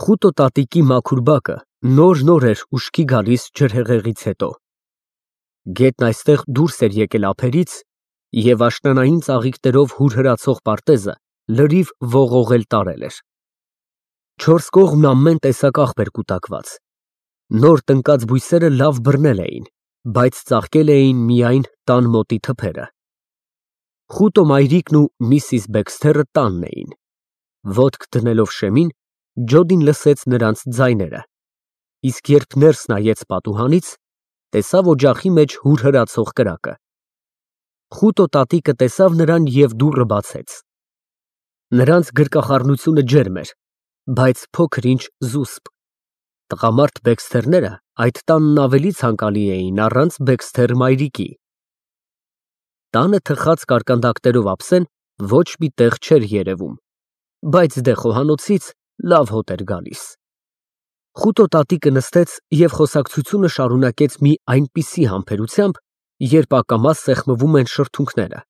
Խուտո տատիկի մաքուր բակը նոր էր ուշքի գալիս ջրհեղեղից հետո։ Գետն այստեղ դուրս էր եկել ափերից և աշնանային ծաղիկներով հուրհրացող պարտեզը լրիվ ողողել տարել էր։ Չորս կողմն ամեն տեսակ աղբ էր կուտակված։ Նոր տնկած բույսերը լավ բռնել էին, բայց ծաղկել էին միայն տան մոտի թփերը։ Խուտո մայրիկն ու միսիս Բեքսթերը տանն էին։ Ոտք դնելով շեմին, Ջոդին լսեց նրանց ձայները, իսկ երբ ներս նայեց պատուհանից, տեսավ օջախի մեջ հուրհրացող կրակը։ Խուտո տատիկը տեսավ նրան և դուռը բացեց։ Նրանց գրկախառնությունը ջերմ էր, բայց փոքր-ինչ զուսպ։ Տղամարդ Բեքսթերները այդ տանն ավելի ցանկալի էին առանց Բեքսթեր մայրիկի։ Տանը թխած կարկանդակներով ափսեն ոչ մի տեղ չէր երևում, բայց դե խոհանոցից լավ հոտ էր գալիս։ Խուտո տատիկը նստեց և խոսակցությունը շարունակեց մի այնպիսի համբերությամբ, երբ ակամա սեղմվում են շրթունքները։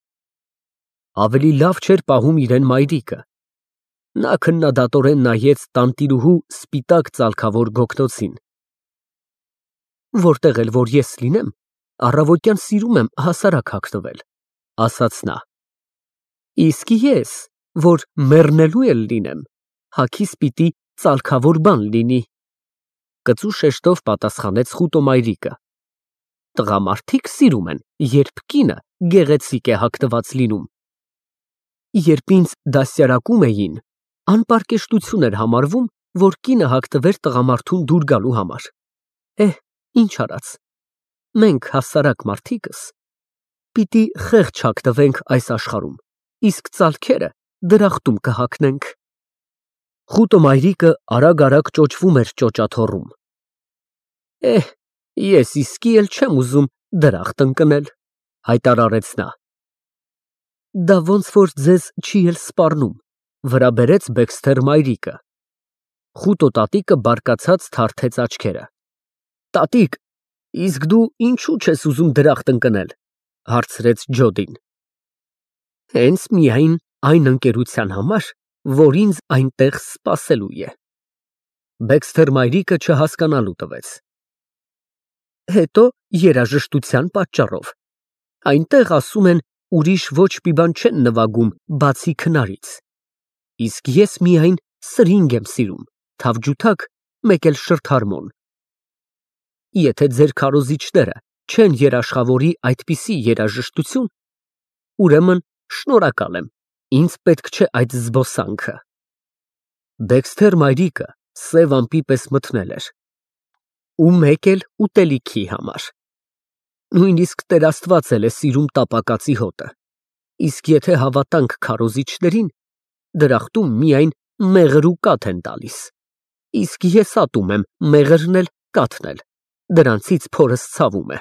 Ավելի լավ չէր պահում իրեն մայրիկը։ Նա քննադատորեն նայեց տանտիրուհու սպիտակ ծալքավոր գոգնոցին։ Որտեղ էլ որ ես լինեմ, առավոտյան սիրում եմ հասարակ հագնվել, ասաց նա։ Իսկ ես, որ մեռնելու էլ լինեմ, հագիս պիտի ծալքավոր բան լինի, կծու շեշտով պատասխանեց Խուտո մայրիկը։ Տղամարդիկ սիրում են, երբ կինը գեղեցիկ է հագնված լինում։ Երբ ինձ դաստիարակում էին, անպարկեշտություն էր համարվում, որ կինը հագնվեր տղամարդուն դուր գալու համար։ Ինչ արած, մենք հասարակ մարդիկս պիտի խեղճ հագնվենք այս աշխարհում, իսկ ծալքերը դրախտում կհագնենք։ Խուտո մայրիկը արագ ճոճվում էր ճոճաթոռում։ Ես իսկի էլ չեմ ուզում դրախտ ընկնել, հայտարարեց նա։ Դա ոնց որ ձեզ չի էլ սպառնում, վրա բերեց Բեքսթեր մայրիկը։ Խուտո տատիկը բարկացած թարթեց աչքերը։ Տատիկ, իսկ դու ինչու չես ուզում դրախտ ընկնել, հարցրեց Ջոդին։ Հենց միայն այն ընկերության համար, որ ինձ այնտեղ սպասելու է։ Բեքսթեր մայրիկը չհասկանալու տվեց։ Հետո երաժշտության պատճառով։ Այնտեղ ասում են, ուրիշ ոչ մի բան չեն նվագում, բացի քնարից։ Իսկ ես միայն սրինգ եմ սիրում, թավջութակ, մեկ էլ շրթհարմոն։ Եթե ձեր քարոզիչները չեն երաշխավորի այդպիսի երաժշտություն, ուրեմն շնորհակալ եմ, ինձ պետք չէ այդ զբոսանքը։ Բեքսթեր մայրիկը սև ամպի պես մթնել էր։ Ու մեկ էլ ուտելիքի համար։ Նույնիսկ Տեր Աստված էլ է սիրում տապակածի հոտը, իսկ եթե հավատանք քարոզիչներին, դրախտում միայն մեղր ու կաթ են տալիս, իսկ ես ատում եմ մեղրն էլ, կաթն էլ, դրանցից փորս ցավում է։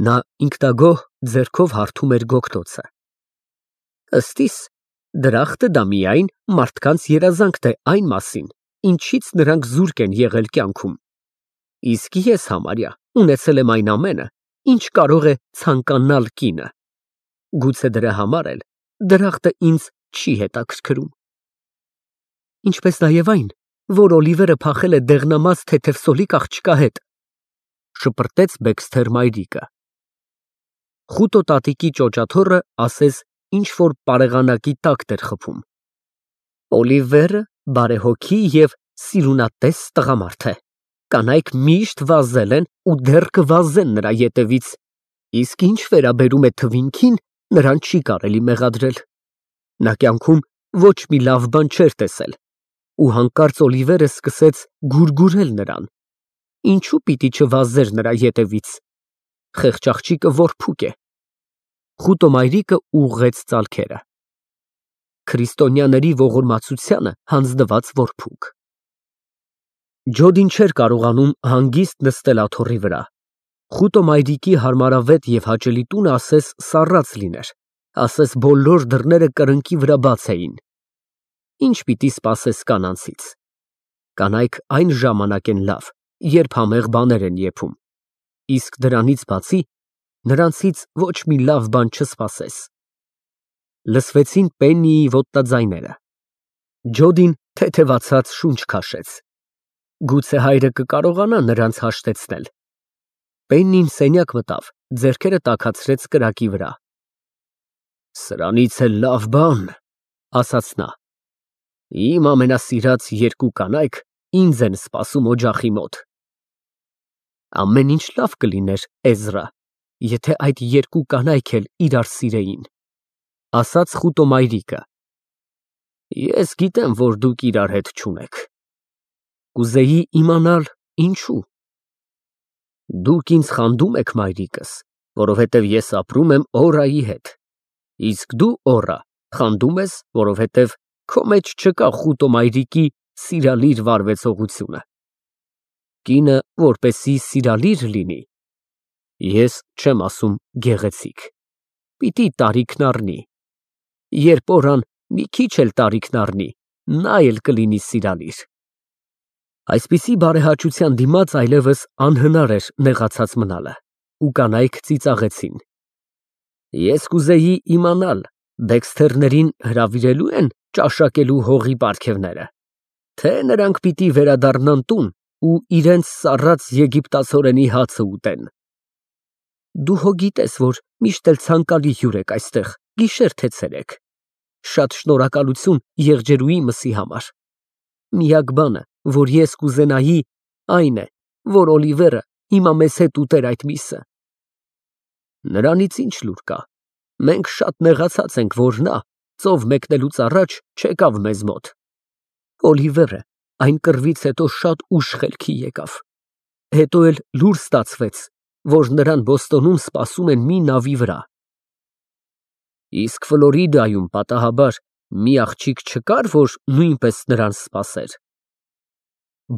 Նա ինքնագոհ ձեռքով հարթում էր գոգնոցը։ Ըստիս, դրախտը դա միայն մարդկանց երազանքն է այն մասին, ինչից նրանք զուրկ են եղել կյանքում, իսկ ես համարյա ունեցել եմ այն ամենը, ինչ կարող է ցանկանալ կինը։ Գուցե դրա համար էլ դրախտը ինձ չի հետաքրքրում։ Ինչպես նաև այն, որ Օլիվերը փախել է դեղնամած թեթևսոլիկ աղջկա հետ, շպրտեց Բեքսթեր մայրիկը։ Խուտո տատիկի ճոճաթոռը ասես ինչ-որ պարեղանակի տակտ էր խփում։ Օլիվերը բարեհոգի և սիրունատես տղամարդ է։ Կանայք միշտ վազել են ու դեռ կվազեն նրա ետևից, իսկ ինչ վերաբերում է թվինքին, նրան չի կարելի մեղադրել։ Նա կյանքում ոչ մի լավ բան չէր տեսել, ու հանկարծ Օլիվերը սկսեց գուրգուրել նրան։ Ինչու պիտի չվազեր նրա ետևից։ Խեղճ աղջիկը որփուկ է։ Խուտո մայրիկը ուղղեց ծալքերը։ Քրիստոնյաների ողորմածությանը հանձնված որփուկ։ Ջոդին չէր կարողանում հանգիստ նստել աթոռի վրա։ Խուտո մայրիկի հարմարավետ և հաճելի տունը ասես սառած լիներ, ասես բոլոր դռները կրկնակի վրա բաց էին։ Ինչ պիտի սպասես կանանցից։ Կանայք այն ժամանակ են լավ, երբ համեղ բաներ են եփում, իսկ դրանից բացի նրանցից ոչ մի լավ բան չսպասես։ Լսվեցին Պեննիի ոտնաձայները։ Ջոդին թեթևացած շունչ քաշեց։ Գուցե հայրը կկարողանա նրանց հաշտեցնել։ Պեննին սենյակ մտավ, ձեռքերը տաքացրեց կրակի վրա։ Սրանից էլ լավ բան, ասաց նա։ Իմ ամենասիրած երկու կանայք ինձ են սպասում օջախի մոտ։ Ամեն ինչ լավ կլիներ, Էզրա, եթե այդ երկու կանայք էլ իրար սիրեին, ասաց խուտոմայրիկը։ Ես գիտեմ, որ դուք իրար հետ չունեք։ Կուզեի իմանալ ինչու։ Դուք ինձ խանդում եք, մայրիկս, որովհետև ես ապրում եմ Օրայի հետ, իսկ դու, Օրա, խանդում ես, որովհետև քո մեջ չկա խուտոմայրիկի սիրալիր վարվեցողությունը։ Կինը, որպեսզի սիրալիր լինի, ես չեմ ասում գեղեցիկ, պիտի տարիքն առնի։ Երբ Օրան մի քիչ էլ տարիքն առնի, նա էլ կլինի սիրալիր։ Այսպիսի բարեհաճության դիմաց այլևս անհնար էր նեղացած մնալը, ու կանայք ծիծաղեցին։ Ես կուզեի իմանալ, Դեքսթերներին հրավիրելու են ճաշակելու հողի պարգևները, թե նրանք պիտի վերադառնան տուն ու իրենց սառած եգիպտացորենի հացը ուտեն։ Դու հո գիտես, որ միշտ էլ ցանկալի հյուր եք այստեղ, գիշեր թե ցերեկ։ Շատ շնորհակալություն եղջերուի մսի համար։ Միակ բանը, որ ես կուզենայի, այն է, որ Օլիվերը հիմա մեզ հետ ուտեր այդ միսը։ Նրանից ինչ լուր կա։ Մենք շատ նեղացած ենք, որ նա ծով մեկնելուց առաջ չեկավ մեզ մոտ։ Օլիվերը այն կռվից հետո շատ ուշ խելքի եկավ։ Հետո էլ լուր ստացվեց, որ նրան Բոստոնում սպասում են մի նավի վրա։ Իսկ Ֆլորիդայում պատահաբար մի աղջիկ չկար, որ նույնպես նրան սպասեր։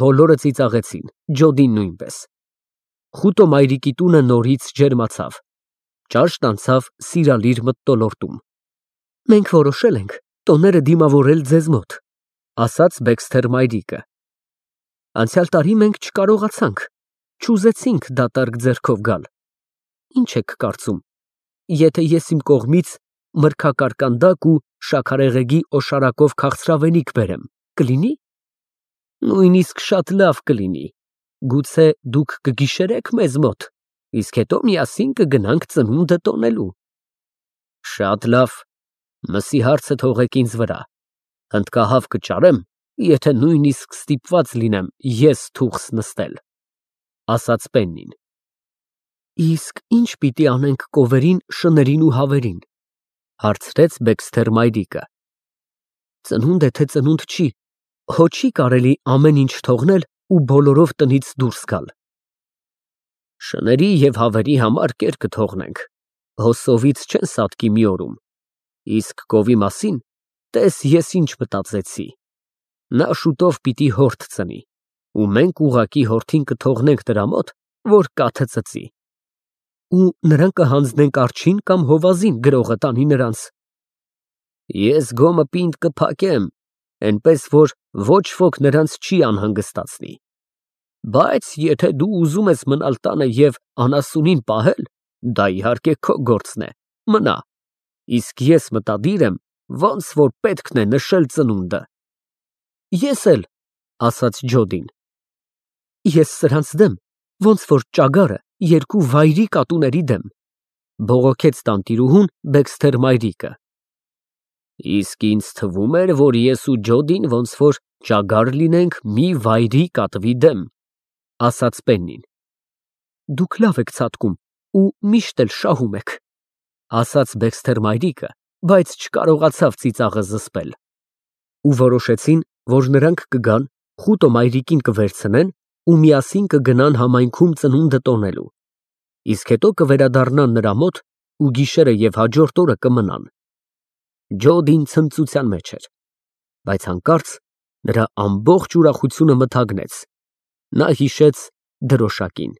Բոլորը ծիծաղեցին, Ջոդին նույնպես։ Խուտոմայրիկի տունը նորից ջերմացավ։ Ճաշն անցավ սիրալիր մթնոլորտում։ Մենք որոշել ենք տոները դիմավորել ձեզ մոտ, ասաց Բեքսթեր մայրիկը։ Անցյալ տարի մենք չկարողացանք, չուզեցինք դատարկ ձեռքով գալ։ Ինչ եք կարծում, եթե ես իմ կողմից մրգակարկանդակ ու շաքարեղեգի օշարակով քաղցրավենիք բերեմ, կլինի։ Նույնիսկ շատ լավ կլինի։ Գուցե դուք կգիշերեք մեզ մոտ, իսկ հետո միասին կգնանք ծնունդը տոնելու։ Շատ լավ, մսի հարցը թողեք ինձ վրա։ Հնդկահավ կճարեմ, եթե նույնիսկ ստիպված լինեմ ես թուղս նստել, ասաց Պեննին։ Իսկ ինչ պիտի անենք կովերին, շներին ու հավերին, հարցրեց Բեքսթեր մայրիկը։ Ծնունդ է թե ծնունդ չի, հո չի կարելի ամեն ինչ թողնել ու բոլորով տնից դուրս գալ։ Շների և հավերի համար կեր կթողնենք, հո սովից չեն սատկի մի օրում, իսկ կովի մասին տես ես ինչ մտածեցի։ Նա շուտով պիտի հորթ ծնի, ու մենք ուղղակի հորթին կթողնենք նրա մոտ, որ կաթը ծծի։ Ու նրան կհանձնենք արջին կամ հովազին գրողը տանի նրանց։ Ես գոմը պինդ կփակեմ, այնպես որ ոչ ոք նրանց չի անհանգստացնի։ Բայց եթե դու ուզում ես մնալ տանը և անասունին պահել, դա իհարկե քո գործն է, մնա, իսկ ես մտադիր եմ, ոնց որ պետքն է նշել ծնունդը։ Ես էլ, ասաց Ջոդին։ Ես սրանց դեմ, ոնց որ ճագարը երկու վայրի կատուների դեմ, բողոքեց տանտիրուհուն Բեքսթեր մայրիկը։ Իսկ ինձ թվում էր, որ ես ու Ջոդին ոնց որ ճագար լինենք մի վայրի կատվի դեմ, ասաց Պեննին։ Դուք լավ եք ցատկում ու միշտ էլ շահում եք, ասաց Բեքսթեր մայրիկը, բայց չկարողացավ ծիծաղը զսպել։ Ու որոշեցին, որ նրանք կգան, խուտոմայրիկին կվերցնեն ու միասին կգնան համայնքում ծնունդը տոնելու, իսկ հետո կվերադառնան նրա մոտ ու գիշերը և հաջորդ օրը կմնան։ Ջոդին ցնծության մեջ էր, բայց հանկարծ նրա ամբողջ ուրախությունը մթագնեց։ Նա հիշեց դրոշակին։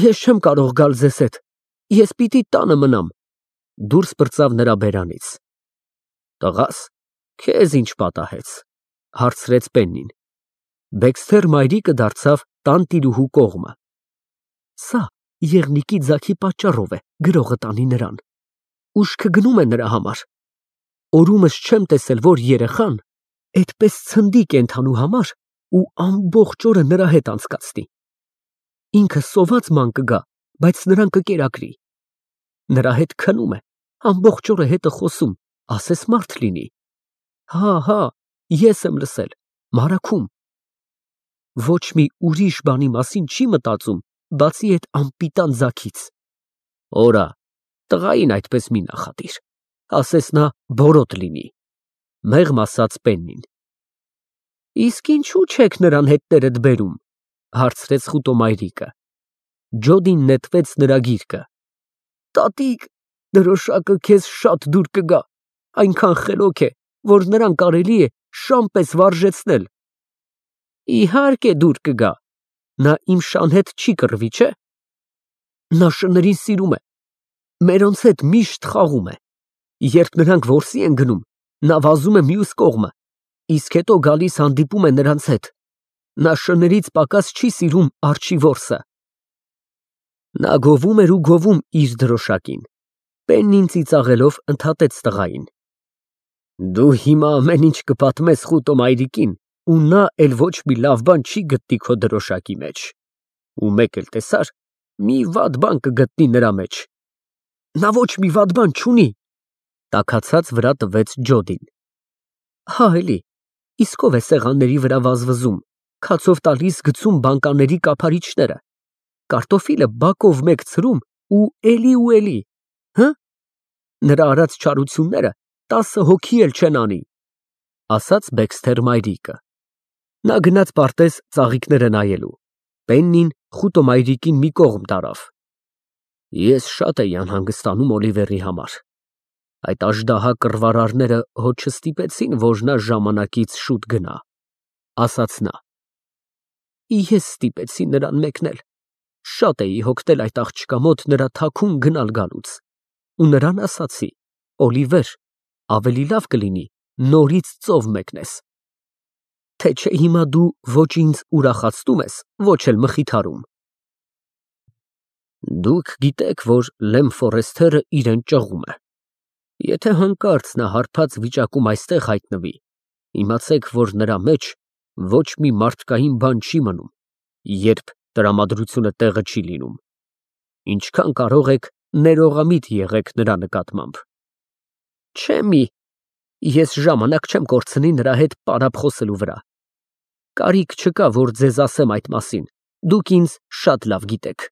Ես չեմ կարող գալ ձեզ հետ, ես պիտի տանը մնամ, դուրս պրծավ նրա բերանից։ Տղաս, քեզ ինչ պատահեց, հարցրեց Պեննին։ Բեքսթեր մայրիկը դարձավ տանտիրուհու կողմը։ Սա եղնիկի ձագի պատճառով է գրողը տանի նրան։ Ուշքը գնում է նրա համար։ օրումս չեմ տեսել, որ երեխան այդպես ցնդի կենթանու համար ու ամբողջ օրը նրա հետ անցկացնի։ Ինքը սոված ման կգա, բայց նրան կկերակրի։ Նրա հետ քնում է, ամբողջ օրը հետը խոսում, ասես մարդ լինի։ Հա, ես եմ լսել, մարաքում։ Ոչ մի ուրիշ բանի մասին չի մտածում, բացի այդ անպիտան ձագից։ Օրա, տղային այդպես մի նախատիր, ասես նա բորոտ լինի, մեղմ ասաց Պեննին։ Իսկ ինչու չեք նրան հետներդ բերում, հարցրեց խուտոմայրիկը։ Ջոդին նետվեց նրա գիրկը։ Տատիկ, դրոշակը քեզ շատ դուր կգա, այնքան խելոք է, որ նրան կարելի է շան պես վարժեցնել։ Իհարկե դուր կգա, նա իմ շան հետ չի կռվի, չէ։ Նա շներին սիրում է, մերոնց հետ միշտ խաղում է։ Երբ նրանք որսի են գնում, նա վազում է մյուս կողմը, իսկ հետո գալիս հանդիպում է նրանց հետ։ Նա շներից պակաս չի սիրում արջի որսը։ Նա գովում էր ու գովում իր դրոշակին։ Պեննին ծիծաղելով ընդհատեց տղային։ Դու հիմա ամեն ինչ կպատմես խուտոմայրիկին, ու նա էլ ոչ մի լավ բան չի գտնի քո դրոշակի մեջ։ Ու մեկ էլ տեսար, մի վատ բան կգտնի նրա մեջ։ Նա ոչ մի վատ բան չունի, տաքացած վրա տվեց Ջոդին։ Հա էլի, իսկ ով է սեղանների վրա վազվզում, քացով տալիս գցում բանկաների կափարիչները, կարտոֆիլը բակով մեկ ցրում ու էլի, հը։ Նրա արած չարությունները 10 հոգի էլ չեն անի, ասաց Բեքսթեր մայրիկը։ Նա գնաց պարտեզ ծաղիկները նայելու։ Պեննին խուտոմայրիկին մի կողմ տարավ։ Ես շատ էի անհանգստանում Օլիվերի համար։ Այդ աժդահա կռվարարները հո չստիպեցին, որ նա ժամանակից շուտ գնա, ասաց նա։ Ես ստիպեցի նրան մեկնել։ Շատ էի հոգնել այդ աղջկա մոտ նրա թաքուն գնալ գալուց։ Ու նրան ասացի. Օլիվեր, ավելի լավ կլինի նորից ծով մեկնես։ Թե չէ հիմա դու ոչ ինձ ուրախացնում ես, ոչ էլ մխիթարում։ Դուք գիտեք, որ Լեմ Ֆորեսթերը իրեն ճղում է։ Եթե հանկարծ նա հարբած վիճակում այստեղ հայտնվի, իմացեք, որ նրա մեջ ոչ մի մարդկային բան չի մնում, երբ տրամադրությունը տեղը չի լինում։ Ինչքան կարող եք, ներողամիտ եղեք նրա նկատմամբ։ Չէ մի, ես ժամանակ չեմ կորցնի նրա հետ պարապ խոսելու վրա։ Կարիք չկա, որ ձեզ ասեմ այդ մասին, դուք ինձ շատ լավ գիտեք։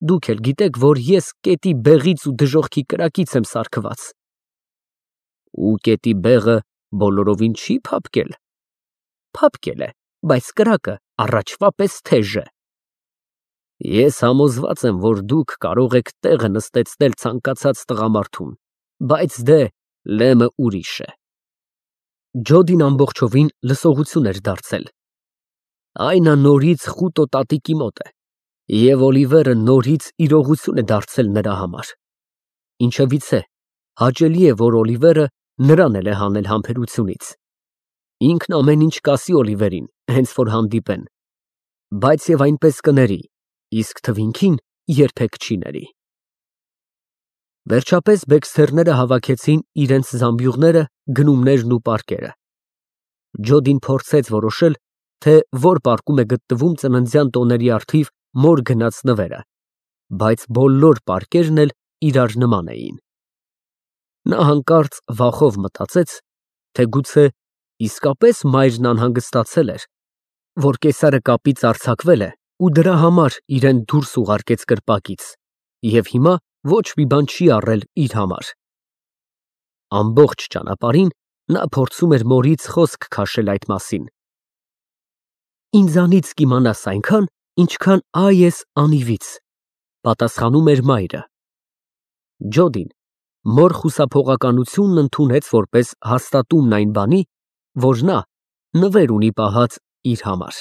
Դուք էլ գիտեք, որ ես կետի բեղից ու դժոխքի կրակից եմ սարքված։ Ու կետի բեղը բոլորովին չի փափկել։ Փափկել է, բայց կրակը առաջվա պես թեժ է։ Ես համոզված եմ, որ դուք կարող եք տեղը նստեցնել ցանկացած տղամարդուն, բայց դե Լեմը ուրիշ է։ Ջոդին ամբողջովին լսողություն էր դարձել։ Այնա նորից խուտո տատիկի մոտ է, և Օլիվերը նորից իրողություն է դարձել նրա համար։ Ինչևիցե, հաճելի է, որ Օլիվերը նրան էլ է հանել համբերությունից։ Ինքն ամեն ինչ կասի Օլիվերին, հենց որ հանդիպեն, բայց և այնպես կների, իսկ թվինքին երբեք չի ների։ Վերջապես Բեքսթերները հավաքեցին իրենց զամբյուղները, գնումներն ու պարկերը։ Ջոդին փորձեց որոշել, թե որ պարկում է գտնվում ծննդյան տոների առթիվ մոր գնած նվերը, բայց բոլոր պարկերն էլ իրար նման էին։ Նա հանկարծ վախով մտածեց, թե գուցե իսկապես մայրն անհանգստացել էր, որ կեսարը կապից արձակվել է ու դրա համար իրեն դուրս ուղարկեց կրպակից, և հիմա ոչ մի բան չի առել իր համար։ Ամբողջ ճանապարհին նա փորձում էր մորից խոսք քաշել այդ մասին։ Ինձանից կիմանաս այնքան, ինչքան այ ես անիվից, պատասխանում էր մայրը։ Ջոդին մոր խուսափողականությունն ընդունեց որպես հաստատումն այն բանի, որ նա նվեր ունի պահած իր համար։